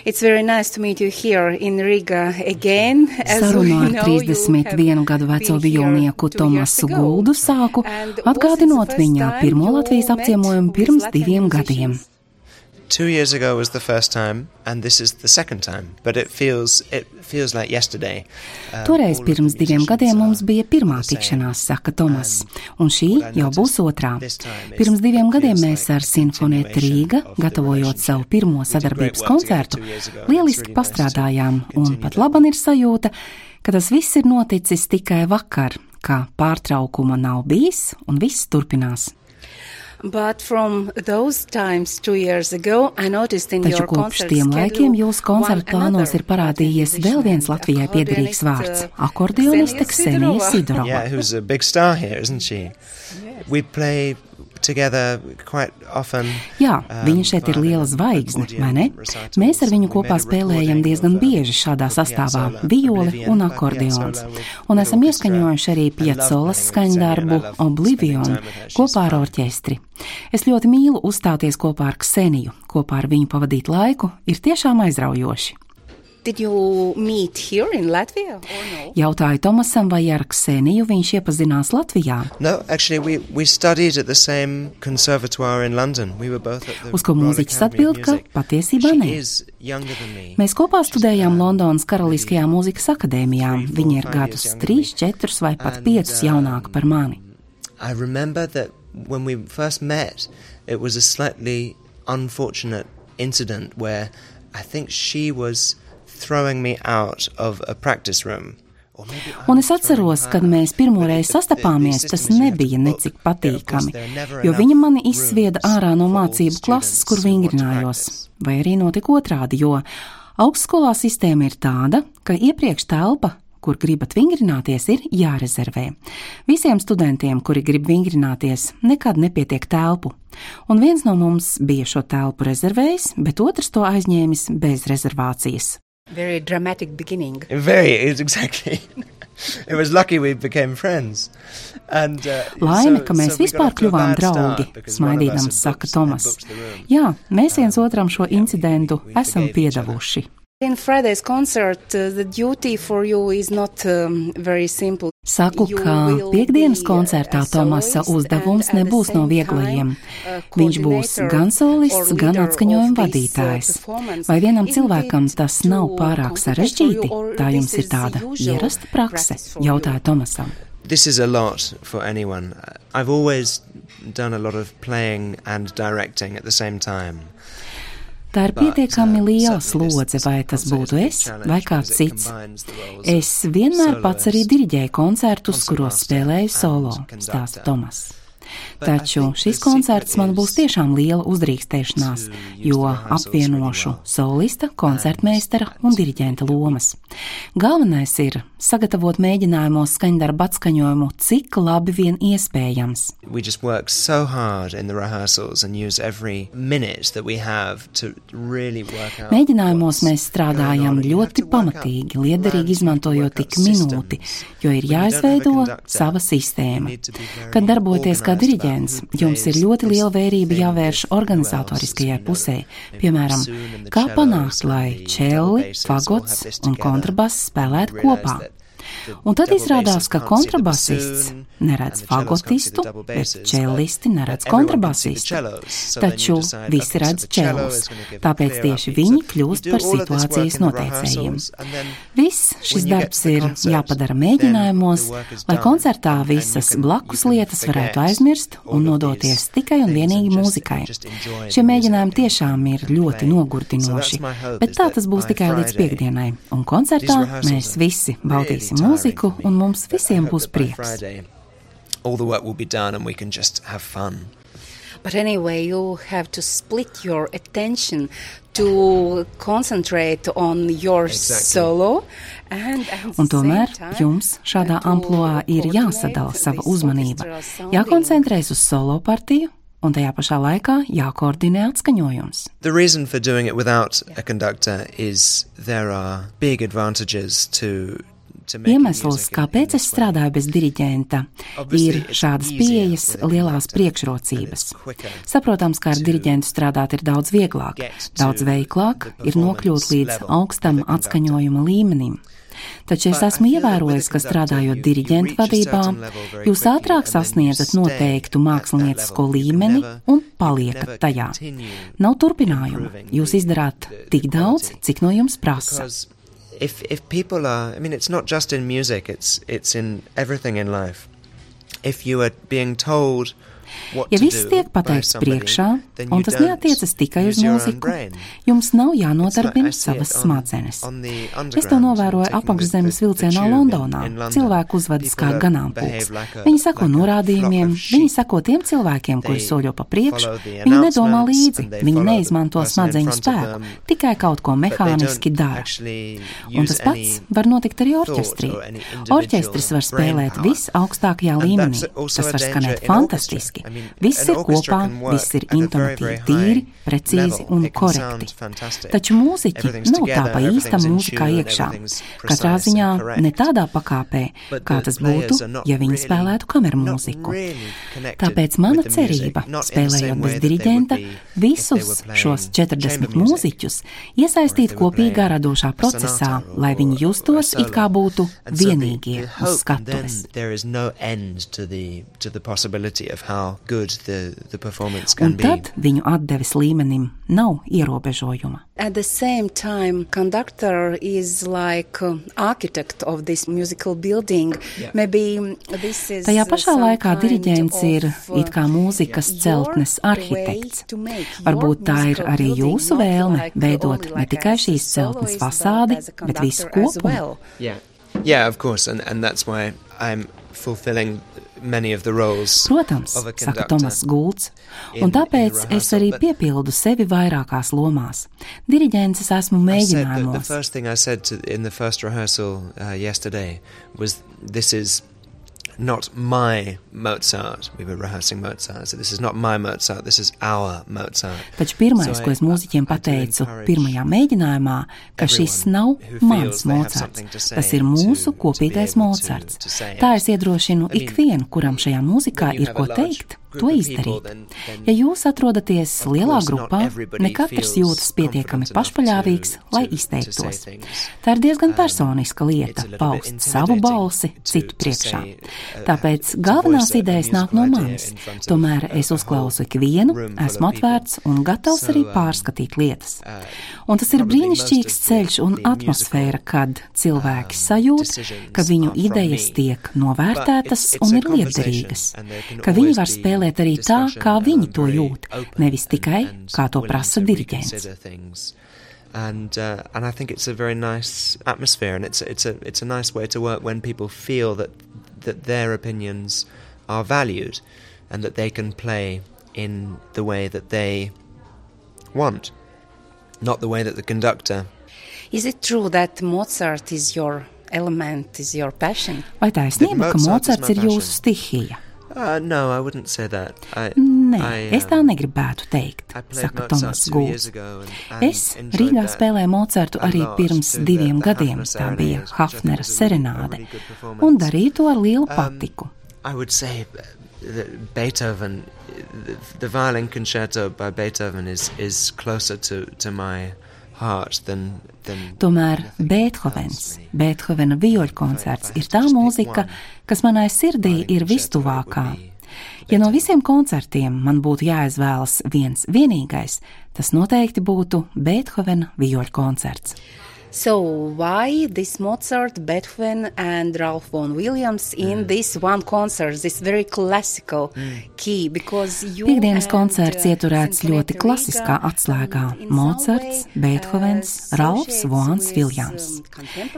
It's very nice to meet you here in Riga again. Sarunu ar 31 gadu veco vijolnieku Tomasu Guldu sāku, atgādinot viņa pirmo Latvijas apciemojumu pirms 2 gadiem. 2 years ago was the first time, and this is the second time, but it feels like yesterday. Toreiz pirms 2 gadiem mums bija pirmā tikšanās, saka Tomas, un šī jau būs otrā. Pirms 2 gadiem mēs ar Sinfonietta Rīga, gatavojot savu pirmo sadarbības koncertu, lieliski pastrādājām, un pat laban ir sajūta, ka tas viss ir noticis tikai vakar, ka pārtraukuma nav bijis un viss turpinās. But from those times 2 years ago, I noticed in Taču your kopš concert tiem laikiem jūsu koncertu plānos ir parādījies vēl viens Latvijai piederīgs vārds - akordioniste Ksenija Sidorova. Yeah, who's a big star here, isn't she? We play together quite often. Jā, viņa šeit ir liela zvaigzne, vai ne? Mēs ar viņu kopā spēlējam diezgan bieži šādā sastāvā - violi un akordeons. Un esam ieskaņojuši arī Piazzolas skaņdarbu Oblivion kopā ar orķestri. Es ļoti mīlu uzstāties kopā ar Kseniju, kopā ar viņu pavadīt laiku ir tiešām aizraujoši. Did you meet here in Latvia or no? Jautāju Tomasam, vai ar Kseniju viņš iepazinās Latvijā. No, actually we studied at the same conservatoire in London. We were both at the Uz ko Royal mūziķis Academy of atbild, ka Music. patiesībā She ne. is younger than me. Mēs kopā studējām Londonas Karaliskajā mūzikas akadēmijā. Viņa ir gadus 3, 4 vai pat 5 jaunāka par mani. I remember that when we first met, it was a slightly unfortunate incident where I think she was throwing me out of a practice room. Un es atceros, kad mēs pirmoreiz sastapāmies, tas nebija necik patīkami, jo viņa mani izsvieda ārā no mācību klases, kur vingrinājos. Vai arī notika otrādi, jo augstskolā sistēma ir tāda, ka iepriekš telpa, kur gribat vingrināties, ir jārezervē. Visiem studentiem, kuri grib vingrināties, nekad nepietiek telpu. Un viens no mums bija šo telpu rezervējis, bet otrs to aizņēmis bez rezervācijas. Very dramatic beginning. Exactly. It was lucky we became friends. And, Laime, ka mēs vispār kļuvām draugi, smaidīdams saka Tomas. Jā, mēs viens otram šo incidentu esam piedevuši. In Friday's concert, the duty for you is not very simple. Saku, ka piekdienas koncertā Tomasa uzdevums nebūs no vieglajiem. Viņš būs gan solists, gan atskaņojuma vadītājs. Vai vienam cilvēkam tas nav pārāk sarežģīti? Tā jums ir tāda ierasta prakse, jautāja Tomasam. This is a lot for anyone. I've always done a lot of playing and directing at the same time. Tā ir pietiekami liela slodze, vai tas būtu es vai kāds cits. Es vienmēr pats arī diriģēju koncertus, kuros spēlēju solo, stāsta Tomas. Taču šis koncerts man būs tiešām liela uzdrīkstēšanās, jo apvienošu solista, koncertmeistara un diriģenta lomas. Galvenais ir sagatavot mēģinājumos skaņdarbu atskaņojumu, cik labi vien iespējams. We just work so hard in the rehearsals and use every minute that we have to really work out. Mēģinājumos mēs strādājam ļoti pamatīgi, liederīgi izmantojot tik minūti, jo ir jāizveido sava sistēma. Kad darboties kā diriģents, jums ir ļoti liela vērība jāvērš organizatoriskajai pusē, piemēram, kā panākt, lai čelli, fagots un kontrabass spēlētu kopā. Un tad izrādās, ka kontrabasists neredz fagotistu, bet čellisti neredz kontrabasistu. Taču visi redz čellus, tāpēc tieši viņi kļūst par situācijas noteicējiem. Viss šis darbs ir jāpadara mēģinājumos, lai koncertā visas blakus lietas varētu aizmirst un nodoties tikai un vienīgi mūzikai. Šie mēģinājumi tiešām ir ļoti nogurdinoši, bet tā tas būs tikai līdz piekdienai, un koncertā mēs visi baudīsim mūziku, un mums visiem būs prieks. All the work will be done and we can just have fun. But anyway, you have to split your attention to concentrate on your solo. Un tomēr jums šādā amploā ir jāsadala sava uzmanība, jākoncentrēs uz solo partiju, un tajā pašā laikā jākoordinē atskaņojums. The reason for doing it without a conductor is there are big advantages to Iemesls, kāpēc es strādāju bez diriģenta, ir šādas pieejas lielās priekšrocības. Saprotams, ka ar diriģentu strādāt ir daudz vieglāk, daudz veiklāk ir nokļūt līdz augstam atskaņojuma līmenim. Taču es esmu ievērojis, ka strādājot diriģentu vadībā, jūs ātrāk sasniedzat noteiktu māksliniecisko līmeni un paliekat tajā. Nav turpinājuma. Jūs izdarāt tik daudz, cik no jums prasa. If people are, I mean, it's not just in music, it's in everything in life. If you are being told Ja viss tiek pateikts priekšā, un tas neatiecas tikai uz mūziku, jums nav jānodarbina savas smadzenes. Es to novēroju apakšzemes vilcienā Londonā. Cilvēki uzvedas kā ganāmpulks. Viņi seko norādījumiem, viņi seko tiem cilvēkiem, kuri soļo pa priekšu, viņi nedomā līdzi, viņi neizmanto smadzeņu spēku, tikai kaut ko mehāniski dara. Un tas pats var notikt arī orķestrī. Orķestris var spēlēt visaugstākajā līmenī, tas var skanēt fantastiski. Viss ir kopā, viss ir intonatīvi tīri, precīzi un korekti. Taču mūziķi nav tā pa īstam mūzikā iekšā. Katrā ziņā ne tādā pakāpē, kā tas būtu, ja viņi spēlētu kameru mūziku. Tāpēc mana cerība, spēlējot bez diriģenta, visus šos 40 mūziķus iesaistīt kopīgā radošā procesā, lai viņi justos it kā būtu vienīgie uz skatuves. Un tad viņu atdeves līmenim nav ierobežojuma. At the same time, conductor is like architect of this musical building. Maybe this is Tajā pašā laikā diriģents ir it kā mūzikas celtnes arhitekts. Varbūt tā ir arī jūsu vēlme veidot ne tikai šīs celtnes fasādi, bet visu kopumu. Yeah, of course, and that's why I'm fulfilling many of the roles. Protams, saka Tomas Gulds, un tāpēc es arī piepildu sevi vairākās lomās. Diriģents es esmu mēģinājumos. The first thing I said in the first rehearsal yesterday was, this is not my Mozart. We were rehearsing Mozart, so this is not my Mozart, this is our Mozart. Taču pirmais, ko es mūziķiem pateicu pirmajā mēģinājumā, ka šis nav mans Mozarts, tas ir mūsu kopīgais Mozarts. Tā es iedrošinu ikvienu, kuram šajā mūzikā ir ko teikt, to izdarīt. Ja jūs atrodaties lielā grupā, ne katrs jūtas pietiekami pašpaļāvīgs, lai izteiktos. Tā ir diezgan personiska lieta, paust savu balsi citu priekšā. Tāpēc galvenās idejas nāk no manis. Tomēr es uzklausu ikvienu, esmu atvērts un gatavs arī pārskatīt lietas. Un tas ir brīnišķīgs ceļš un atmosfēra, kad cilvēki sajūt, ka viņu idejas tiek novērtētas un ir lietderīgas, ka viņi var spēlēt arī tā, kā viņi to jūt, nevis tikai, kā to prasa diriģents. And I think it's a very nice atmosphere, and it's a nice way to work when people feel that their opinions are valued and that they can play in the way that they want, not the way that the conductor. Is it true that Mozart is your element, is your passion? Vai taisnība, ka Mozarts ir jūsu stihija? No, I wouldn't say that. Nē, es tā negribētu teikt, saka Tomas Gulds. Es Rīgā spēlēju Mozartu arī pirms 2 gadiem, tā bija Hafnera serenāde, un darīju to ar lielu patiku. I would say that Beethoven, the violin concerto by Beethoven is closer to my heart than Tomēr Beethovena vioļkoncerts ir tā mūzika, kas manai sirdī ir vistuvākā. Ja no visiem koncertiem man būtu jāizvēlas viens vienīgais, tas noteikti būtu Beethovena vioļkoncerts. So why this Mozart, Beethoven and Ralph Vaughan Williams in this one concert, this very classical key? Piektdienas koncerts ieturēts ļoti klasiskā atslēgā. Mozarts, Beethovens, Ralfs Vaughans Viljams.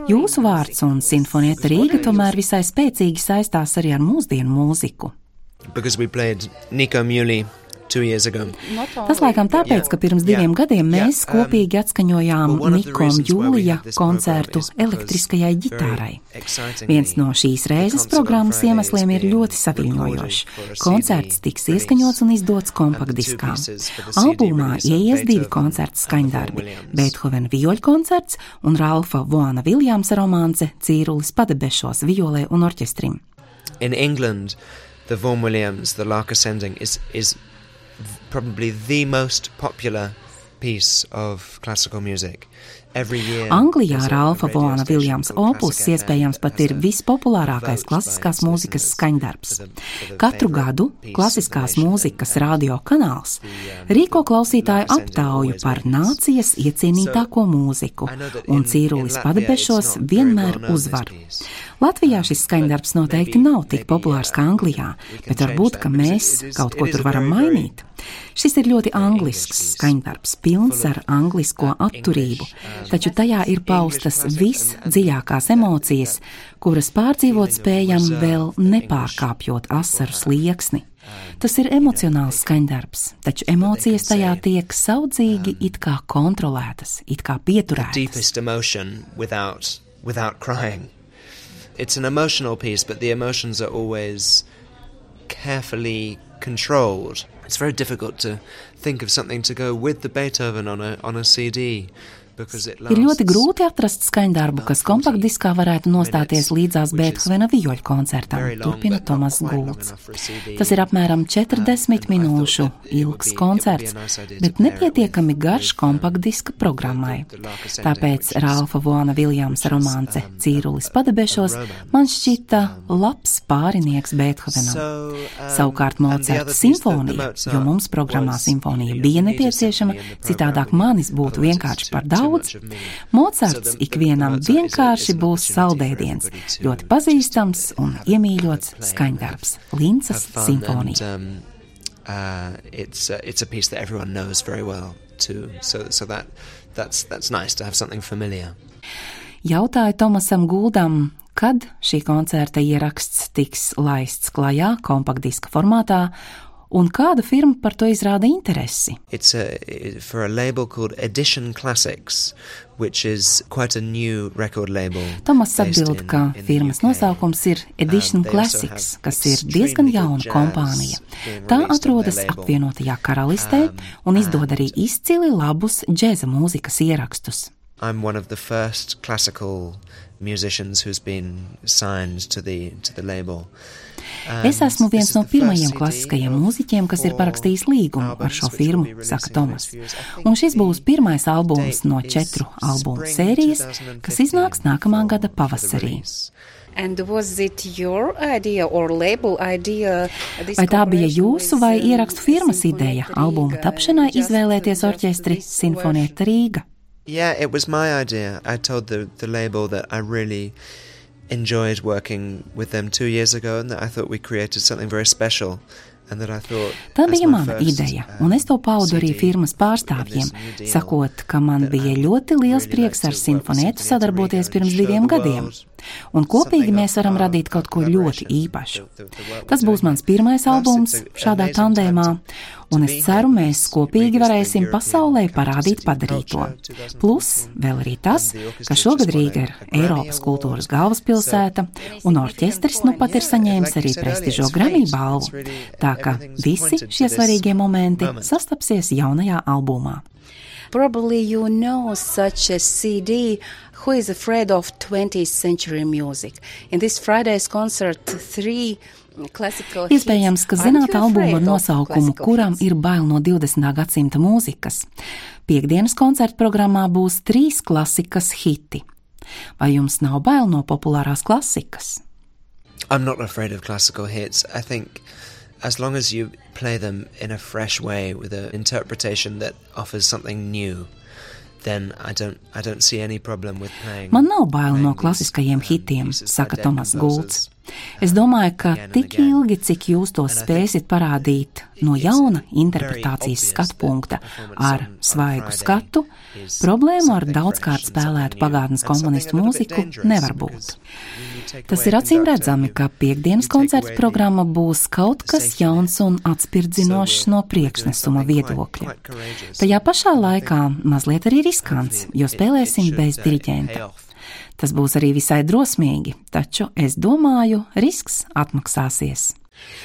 Jūsu vārds un Sinfonieta Rīga tomēr visai spēcīgi saistās arī ar mūsdienu mūziku. Because we played Nico Muhly 2 years ago. Tas laikam tāpēc, ka pirms 2 gadiem mēs kopīgi atskaņojām Niko un Jūlija koncertu elektriskajai ģitārai. Viens no šīs reizes programmas iemesliem ir ļoti saviļņojošs. Koncerts tiks ieskaņots un izdots kompaktdiskā. Albumā ieies 2 koncertu skaņdarbi – Beethovena vioļkoncerts un Ralfa Vaughana Viljamsa romance Cīrulis padebešos violē un orķestrim. In England, the Vaughan Williams, the Lark Ascending, is probably the most popular piece of classical music. Anglijā Ralfa Vaughana Viljamsa opus iespējams pat ir vispopulārākais klasiskās mūzikas skaņdarbs. Katru gadu klasiskās mūzikas radio kanāls rīko klausītāju aptauju par nācijas iecienītāko mūziku, un Cīrulis padebešos vienmēr uzvar. Latvijā šis skaņdarbs noteikti nav tik populārs kā Anglijā, bet varbūt, ka mēs kaut ko tur varam mainīt. Šis ir ļoti anglisks skaņdarbs, pilns ar anglisko atturību, taču tajā ir paustas visdziļākās emocijas, kuras pārdzīvot spējam vēl nepārkāpjot asaru slieksni. Tas ir emocionāls skaņdarbs, taču emocijas tajā tiek saudzīgi it kā kontrolētas, it kā pieturētas. It's an emotional piece, but the emotions are always carefully controlled. It's very difficult to think of something to go with the Beethoven on a CD. Ir ļoti grūti atrast skaņdarbu, kas kompaktdiskā varētu nostāties līdzās Beethovena vioļu koncertam, turpina Tomas Gulds. Tas ir apmēram 40 minūšu ilgs koncerts, bet nepietiekami garš kompaktdiska programmai. Tāpēc Ralfa Vaughana Viljamsa romance Cīrulis padebešos man šķita labs pārinieks Beethovenam. Savukārt Mocarta simfonija, jo mums programmā simfonija bija nepieciešama, citādāk manis būtu vienkārši par daudz. Mocarts ikvienam vienkārši būs saldēdiens, ļoti pazīstams un iemīļots skaņdarbs – Lincas simfonija. It's a piece that everyone knows very well too, so that's nice to have something familiar. Jautāju Tomasam Guldam, kad šī koncerta ieraksts tiks laists klajā kompaktdiska formātā, un kāda firma par to izrāda interesi? It's for a label called Edition Classics, which is quite a new record label. Tomas atbild, ka firmas nosaukums ir Edition Classics, kas ir diezgan jauna kompānija. Tā atrodas apvienotajā karalistē un izdod arī izcili labus džēza mūzikas ierakstus. I'm one of the first classical musicians who's been signed to the label. Es esmu viens no pirmajiem klasiskajiem mūziķiem, kas ir parakstījis līgumu ar šo firmu, saka Tomas. Un šis būs pirmais albums no 4 albumu sērijas, kas iznāks nākamā gada pavasarī. Vai tā bija jūsu vai ierakstu firmas ideja albuma tapšanai izvēlēties orķestri Sinfonietta Rīga? Yeah, it was my idea. I told the label that I really enjoyed working with them 2 years ago and that I thought we created something very special. Tā bija mana ideja, un es to paudu arī firmas pārstāvjiem, sakot, ka man bija ļoti liels prieks ar Sinfonietu sadarboties pirms 2 gadiem, un kopīgi mēs varam radīt kaut ko ļoti īpašu. Tas būs mans pirmais albums šādā tandēmā, un es ceru, mēs kopīgi varēsim pasaulē parādīt padarīto. Plus, vēl arī tas, ka šogad Rīga ir Eiropas kultūras galvaspilsēta, un orķestris nu pat ir saņēmis arī prestižo Grammy balvu. Tā ka visi šie svarīgie momenti sastapsies jaunajā albumā. Probably you know such a CD who is afraid of 20th century music. In this Friday's concert, 3 classical hits. Iespējams, ka zināt albumu ar nosaukumu, kuram ir bail no 20. gadsimta mūzikas. Piektdienas koncerta programmā būs 3 klasikas hiti. Vai jums nav bail no populārās klasikas? I'm not afraid of classical hits. I think as long as you play them in a fresh way with an interpretation that offers something new, then I don't see any problem with playing. Man nav bail no klasiskajiem hitiem, saka Tomas Gulds. Es domāju, ka tik ilgi, cik jūs to spēsit parādīt no jauna interpretācijas skatu punkta ar svaigu skatu, problēmu ar daudzkārt spēlētu pagātnes komponistu mūziku nevar būt. Tas ir acīm redzami, ka piektdienas koncerta programma būs kaut kas jauns un atspirdzinošs no priekšnesuma viedokļa. Tajā pašā laikā mazliet arī riskants, jo spēlēsim bez diriģenta. Tas būs arī visai drosmīgi, taču es domāju, risks atmaksāsies.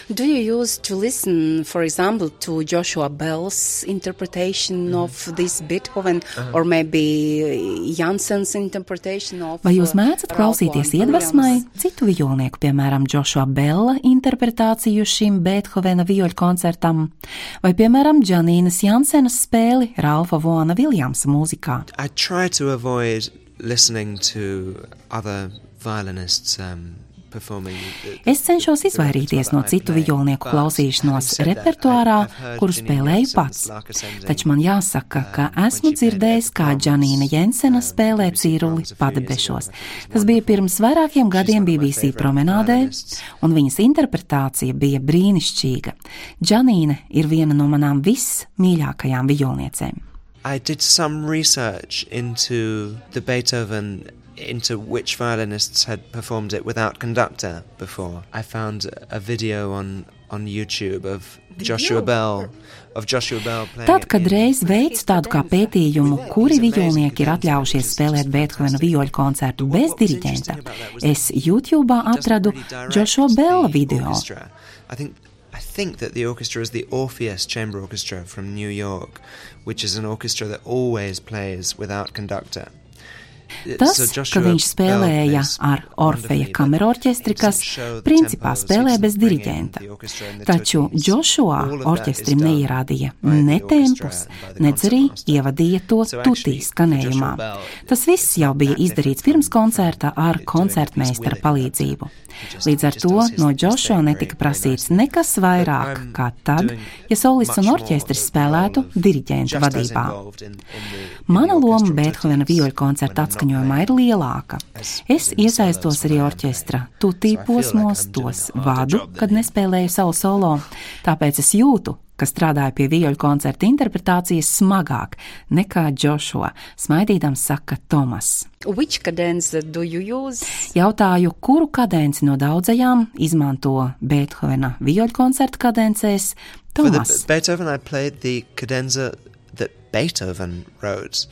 Do you use to listen, for example, to Joshua Bell's interpretation of this Beethoven, or maybe Janssen's interpretation of... Vai jūs mēdzat klausīties iedvesmai citu vijolnieku, piemēram, Joshua Bella interpretāciju šim Beethovena vioļu koncertam, vai, piemēram, Janīnas Jansenas spēli Ralfa Vaughana Viljamsa mūzikā? I try to avoid listening to other violinists performing. Es cenšos izvairīties no citu vijolnieku klausīšanos repertuārā, kuru spēlēju pats. Taču man jāsaka, ka esmu dzirdējis, kā Janīna Jensena spēlē cīruli padebešos. Tas bija pirms vairākiem gadiem BBC promenādē, un viņas interpretācija bija brīnišķīga. Janīna ir viena no manām vismīļākajām vijolniecēm. I did some research into the Beethoven, into which violinists had performed it without conductor before. I found a video on YouTube of Joshua Bell playing. Tad, kad reiz veicu tādu kā pētījumu, kuri vijolnieki ir atļaujušies spēlēt Beethovena vioļu koncertu bez diriģenta, es YouTube'ā atradu Joshua Bella video. I think that the orchestra is the Orpheus Chamber Orchestra from New York, which is an orchestra that always plays without conductor. Tas, ka viņš spēlēja ar Orfeja kamerorķestri, kas principā spēlē bez diriģenta. Taču Joshua orķestrim neierādīja ne tempus, nedz arī ievadīja to tutī skanējumā. Tas viss jau bija izdarīts pirms koncerta ar koncertmeistara palīdzību. Līdz ar to no Joshua netika prasīts nekas vairāk kā tad, ja solists un orķestris spēlētu diriģenta vadībā. Mana loma Beethovena vioļu koncerta atskaņojumā ir lielāka. Es iesaistos arī orķestra tutī posmos, tos vadu, kad nespēlēju savu solo, tāpēc es jūtu, ka strādāja pie vioļu koncerta interpretācijas smagāk nekā Joshua, smaidīdams saka Tomas. Which cadence do you use? Jautāju, kuru kadenci no daudzajām izmanto Beethovena vioļu koncerta kadencēs Tomas. For the Beethoven, I played the cadenza that Beethoven wrote.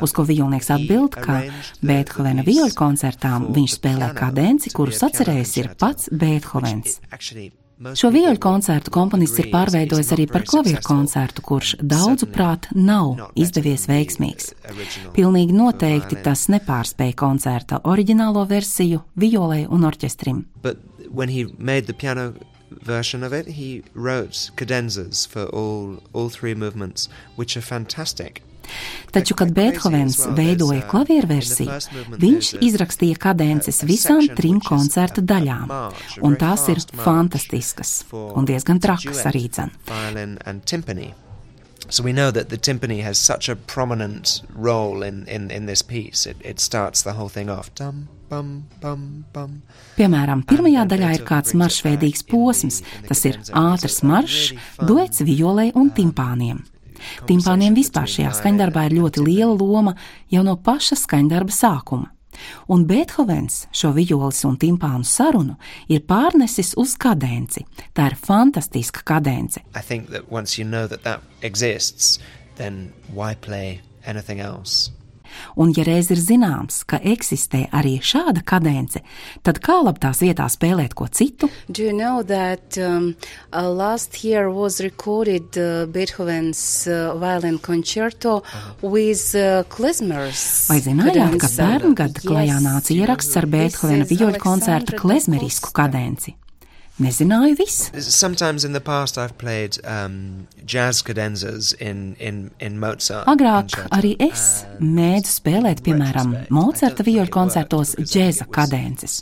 Uz ko vijolnieks atbild, ka Beethovena vioļu koncertām viņš spēlē kadenci, kurus atcerējis ir pats Beethovens. Šo vioļu koncertu komponists ir pārveidojis arī par klavieru koncertu, kurš daudzuprāt nav izdevies veiksmīgs. Pilnīgi noteikti tas nepārspēja koncerta oriģinālo versiju vijolei un orķestrim. But when he made the piano version of it, he wrote cadenzas for all three movements, which are fantastic. Taču, kad Beethovens veidoja klavieru versiju, viņš izrakstīja kadences visām trim koncerta daļām, un tās ir fantastiskas un diezgan trakas arī dzen. So we know that the timpani has such a prominent role in this piece. It starts the whole thing off. Dum, bum, bum, bum. Piemēram, pirmajā daļā ir kāds maršveidīgs posms, tas ir ātrs maršs, duets violei un timpāniem. Timpāniem vispār šajā skaņdarbā ir ļoti liela loma jau no paša skaņdarba sākuma. Un Beethovens šo vijoles un timpānu sarunu ir pārnesis uz kadenci. Tā ir fantastiska kadence. I think that once you know that exists, then why play anything else? Un ja reiz ir zināms, ka eksistē arī šāda kadence, tad kā labi tās vietā spēlēt ko citu? Do you know that last year was recorded Beethoven's violin concerto with klezmers? Vai zinājāt, ka pērngad klajā nāca ieraksts ar Beethovena vioļu koncerta klezmerisku kadenci? nezināju visu. Sometimes in the past I've played jazz cadenzas in Mozart. Agrāk arī es mēdzu spēlēt, piemēram, Mocarta vioļu koncertos džēza kadences.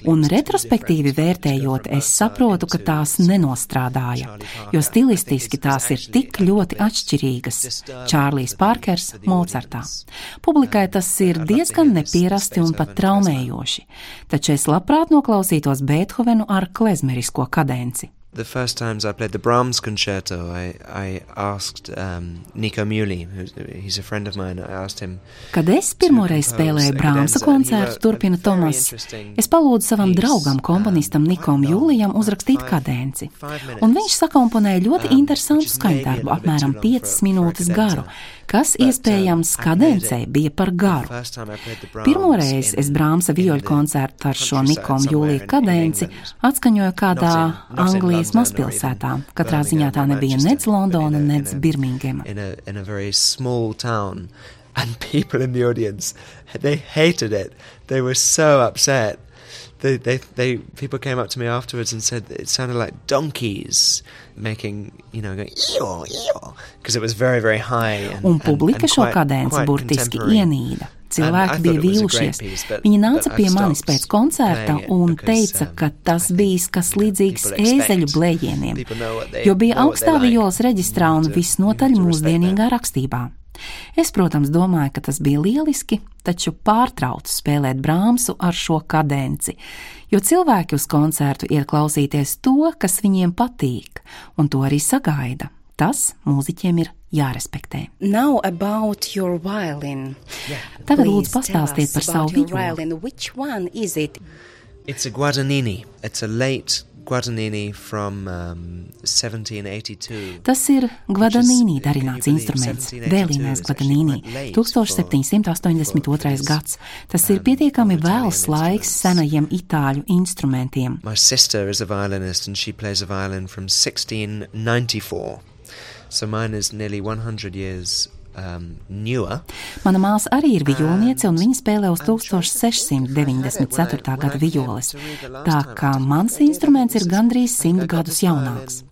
Un retrospektīvi vērtējot, es saprotu, ka tās nenostrādāja, jo stilistiski tās ir tik ļoti atšķirīgas. Čārlijs Parkers Mocartā. Publikai tas ir diezgan nepierasti un pat traumējoši, taču es labprāt noklausītos Beethovenu ar klezmerisko kadenci. The first times I played the Brahms concerto, I asked Nico Muhly, he's a friend of mine, I asked him. Kad es pirmoreiz spēlēju Brahmsa koncertu, turpina Tomas, es palūdzu savam draugam, komponistam Nikom Julijam uzrakstīt kadenci. Un viņš sakomponēja ļoti interesantu skaņdarbu, apmēram 5 minūtes garu, kas iespējams kadencei bija par garu. Pirmoreiz es Brahmsa vioļu koncertu ar šo Nikom Julija kadenci atskaņoju kādā Anglijas mazpilsētā. Katrā ziņā tā nebija nec Londona, nec Birmingema. In a very small town, and people in the audience, they hated it. They were so upset. People came up to me afterwards and said it sounded like donkeys making, going because it was very, very high. Un publika šo kadenci burtiski ienīda. Cilvēki bija vīlušies. Viņi nāca pie manis pēc koncerta un teica, ka tas bijis kas līdzīgs ēzeļu blējieniem, jo bija augstā violas reģistrā un visnotaļ mūsdienīgā rakstībā. Es, protams, domāju, ka tas bija lieliski, taču pārtraucu spēlēt Brahmsu ar šo kadenci, jo cilvēki uz koncertu iet klausīties to, kas viņiem patīk, un to arī sagaida. Tas mūziķiem ir jārespektē. Now about your violin. Tagad lūdzu pastāstiet par savu violi. Which one is it? It's a Guadagnini. It's a late Guadagnini from 1782. Tas ir Guadagnini darināts instruments, vēlīnais Guadagnini, 1782. gads. Tas ir pietiekami vēls laiks senajiem itāļu instrumentiem. My sister is a violinist and she plays a violin from 1694. So mine is nearly 100 years newer. Mana māsa arī ir vijolniece, un viņa spēlē uz 1694. gada vijoles, tā kā mans instruments ir gandrīz 100 gadus jaunāks.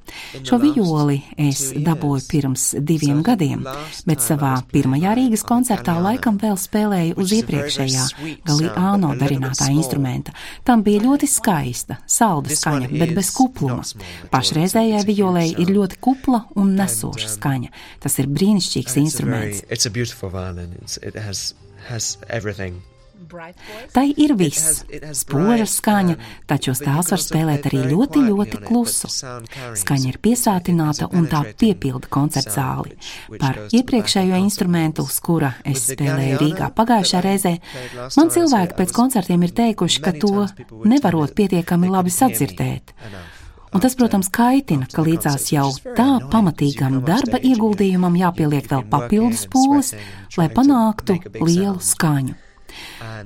Šo vijoli es dabūju pirms 2 gadiem, bet savā pirmajā Rīgas koncertā laikam vēl spēlēju uz iepriekšējā Galliano darinātā instrumenta. Tam bija ļoti skaista, salda skaņa, bet bez kupluma. Pašreizējai vijolei ir ļoti kupla un nesoša skaņa. Tas ir brīnišķīgs instruments. It's a beautiful violin. It has everything. Tai ir viss, spoža skaņa, taču uz tās var spēlēt arī ļoti, ļoti klusu. Skaņa ir piesātināta un tā piepilda koncerta zāli. Par iepriekšējo instrumentu, uz kura es spēlēju Rīgā pagājušā reizē, man cilvēki pēc koncertiem ir teikuši, ka to nevarot pietiekami labi sadzirdēt. Un tas, protams, kaitina, ka līdzās jau tā pamatīgam darba ieguldījumam jāpieliek vēl papildus pūles, lai panāktu lielu skaņu.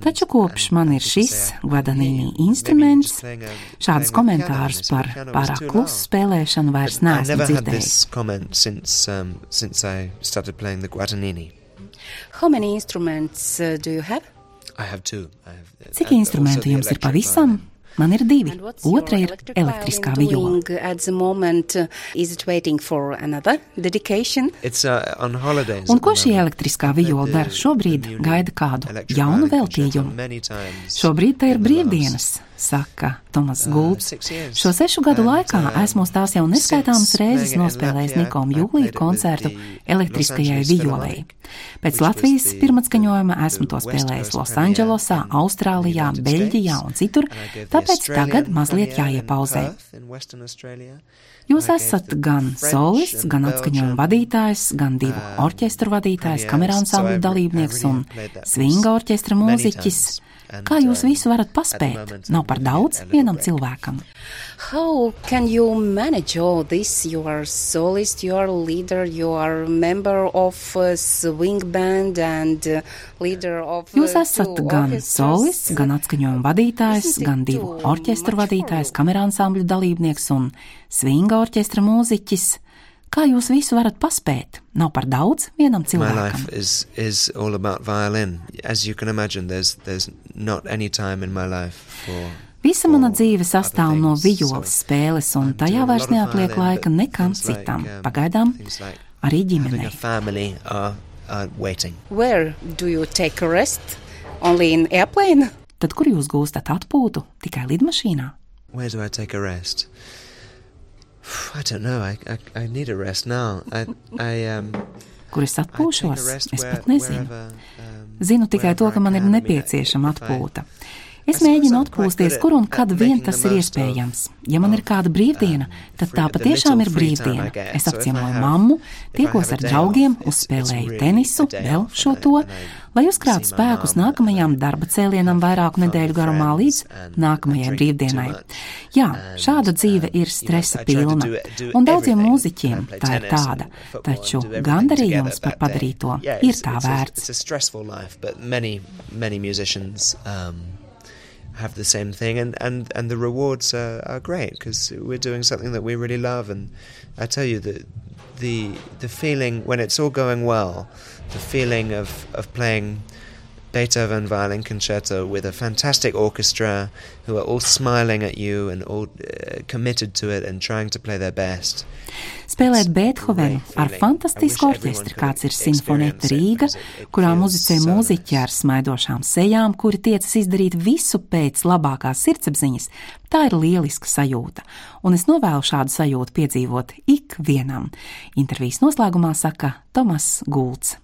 Taču kopš man ir šis Guadagnini instruments, šādus komentārus par pārāk klusu spēlēšanu vairs neesmu dzirdējis. How many instruments do you have? Cik instrumentu jums ir pavisam? Man ir 2. Otra ir elektriskā viola. Un ko šī elektriskā viola dara? Šobrīd gaida kādu jaunu veltījumu. Šobrīd tā ir brīvdienas, saka Tomas Gulbs. Šo 6 gadu laikā esmu uz tās jau neskaitāmas reizes nospēlējis Nikom Julija koncertu elektriskajai violei. Pēc Latvijas pirmatskaņojuma esmu to spēlējis Losandželosā, Austrālijā, Beļģijā un citur, tāpēc tagad mazliet jāiepauzē. Jūs esat gan solists, gan atskaņojuma vadītājs, gan 2 orķestru vadītājs, kameransambļu dalībnieks un svinga orķestra mūziķis. Kā jūs visu varat paspēt? Nav par daudz vienam cilvēkam. How can you manage all this? You are solist, you are leader, you are member of a swing band and leader of Jūs esat gan solists, gan atskaņojuma vadītājs, gan 2 orķestru vadītājs, kameransambļu dalībnieks un svinga orķestra mūziķis. Kā jūs visu varat paspēt? Nav par daudz vienam cilvēkam. My life is all about violin. As you can imagine, there's not any time in my life Visa mana dzīve sastāv no vijoles spēles, un tajā vairs neatliek laika nekam citam. Pagaidām arī ģimenei. Where do you take a rest? Only in airplane? Tad kur jūs gūstat atpūtu? Tikai lidmašīnā? Where do I take a rest? I don't know. I need a rest now. Kur es atpūšos? Es pat nezinu. Zinu tikai to, ka man ir nepieciešama atpūta. Es mēģinu atpūsties, kur un kad vien tas ir iespējams. Ja man ir kāda brīvdiena, tad tā patiešām ir brīvdiena. Es apciemoju mammu, tiekos ar draugiem, uzspēlēju tenisu, vēl šo to, lai uzkrātu spēkus nākamajām darba cēlienam vairāku nedēļu garumā līdz nākamajai brīvdienai. Jā, šāda dzīve ir stresa pilna, un daudziem mūziķiem tā ir tāda, taču gandarījums par padarīto ir tā vērts. Have the same thing, and the rewards are great because we're doing something that we really love. And I tell you that the feeling when it's all going well, the feeling of playing Beethoven violin concerto with a fantastic orchestra who are all smiling at you and all committed to it and trying to play their best. Spēlēt Beethovenu ar fantastisku orķestri, kāds ir Sinfonieta Rīga, kurā muzicē mūziķi ar smaidošām sejām, kuri tiecas izdarīt visu pēc labākās sirdsapziņas, tā ir lieliska sajūta, un es novēlu šādu sajūtu piedzīvot ik vienam. Intervijas noslēgumā saka Tomas Gulds.